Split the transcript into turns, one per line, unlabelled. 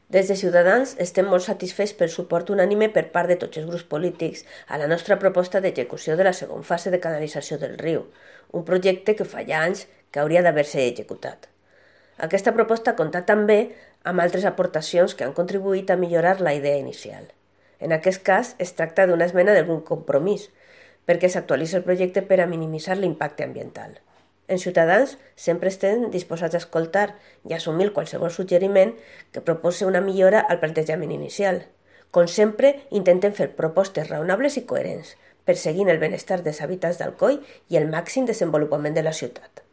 Des de Ciutadans estem molt satisfets pel suport unànime per part de tots els grups polítics a la nostra proposta d'execució de la segona fase de canalització del riu, un projecte que fa ja anys que hauria d'haver-se executat. Aquesta proposta compta també amb altres aportacions que han contribuït a millorar la idea inicial. En aquest cas, es tracta d'una esmena d'algun compromís, perquè s'actualitza el projecte per a minimitzar l'impacte ambiental. En Ciutadans sempre estem disposats a escoltar i assumir qualsevol suggeriment que proposi una millora al plantejament inicial. Com sempre, intentem fer propostes raonables i coherents, perseguint el benestar dels habitants d'Alcoi i el màxim desenvolupament de la ciutat.